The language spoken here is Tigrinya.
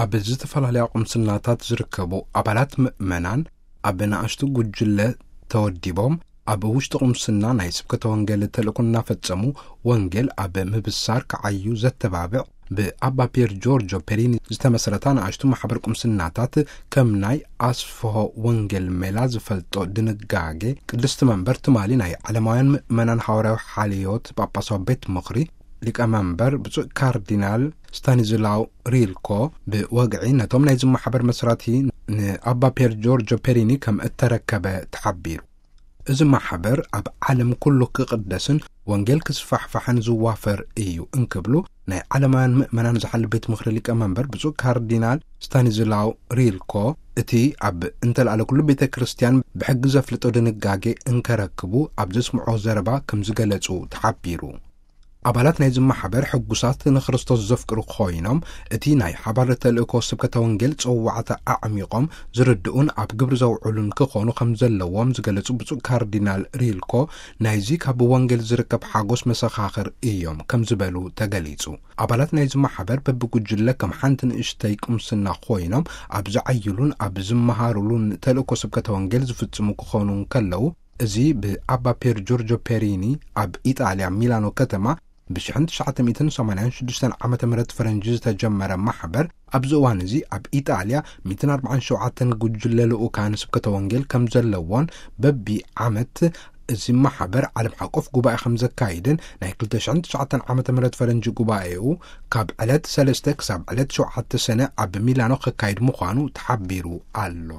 ኣብ ዝተፈላለያ ቁምስናታት ዝርከቡ ኣባላት ምእመናን ኣብ ንኣሽቱ ጉጅለ ተወዲቦም፣ ኣብ ውሽጢ ቁምስና ናይ ስብከተ ወንጌል ተልእኮ እናፈጸሙ፣ ወንጌል ኣብ ምብሳር ክዓዩ ዘተባብዕ፣ ብኣባ ፒየር ጆርጆ ፔሪኒ ዝተመስረታ ንኣሽቱ ማሕበር ቁምስናታት፣ ከም ናይ ኣስፍሆ ወንጌል ሜላ ዝፈልጦ ድንጋጌ፣ ቅድስቲ መንበር ትማሊ ናይ ዓለማውያን ምእመናን ሃዋርያዊ ሓልዮት ጳጳሳዊ ቤት ምኽሪ ሊቀ መንበር ብፁዕ ካርዲናል ስታኒዝላው ሪልኮ ብወግዒ ነቶም ናይዚ ማሕበር መስራቲ ንኣባ ፒየር ጆርጆ ፔሪኒ ከም እተረከበ ተሓቢሩ። እዚ ማሕበር ኣብ ዓለም ኩሉ ክቕደስን ወንጌል ክስፋሕፋሕን ዝዋፈር እዩ እንክብሉ ናይ ዓለማውያን ምእመናን ዝሓል ቤት ምኽሪ ሊቀ መንበር ብፁዕ ካርዲናል ስታኒዝላው ሪልኮ፣ እቲ ኣብ እንተልኣለ ኩሉ ቤተ ክርስቲያን ብሕጊ ዘፍልጦ ድንጋጌ እንከረክቡ ኣብ ዘስምዖ ዘረባ ከም ዝገለጹ ተሓቢሩ። ኣባላት ናይዚ ማሕበር ሕጉሳት ንክርስቶስ ዘፍቅሩ ኮይኖም፣ እቲ ናይ ሓባር ተልእኮ ስብከተ ወንጌል ጸዋዕታ ኣዕሚቖም ዝርድኡን ኣብ ግብሪ ዘውዕሉን ክኾኑ ከም ዘለዎም ዝገለጹ ብፁዕ ካርዲናል ሪልኮ፣ ናይዚ ካብ ወንጌል ዝርከብ ሓጎስ መሰኻኽር እዮም ከም ዝበሉ ተገሊጹ። ኣባላት ናይዚ ማሕበር በብጉጅለ ከም ሓንቲ ንእሽተይ ቁምስና ኮይኖም ኣብ ዝዓይሉን ኣብ ዝመሃሩሉን ተልእኮ ስብከተ ወንጌል ዝፍጽሙ ክኾኑ እንከለዉ፣ እዚ ብኣባ ፒየር ጆርጆ ፔሪኒ ኣብ ኢጣልያ ሚላኖ ከተማ ብ1986 ዓመተ ምህረት ፈረንጂ ዝተጀመረ ማሕበር፣ ኣብዚ እዋን እዚ ኣብ ኢጣልያ ሚእትን ኣርባዓን ሸውዓተን ጉጅለ ልኡካን ስብከተ ወንጌል ከም ዘለዎን፣ በቢ ዓመት እዚ ማሕበር ዓለም ሓቆፍ ጉባኤ ከም ዘካይድን፣ ናይ ክልተ ሽሕን ትሽዓተን ዓመተ ምህረት ፈረንጂ ጉባኤኡ ካብ ዕለት ሰለስተ ክሳብ ዕለት ሸውዓተ ሰነ ኣብ ሚላኖ ክካይድ ምዃኑ ተሓቢሩ ኣሎ።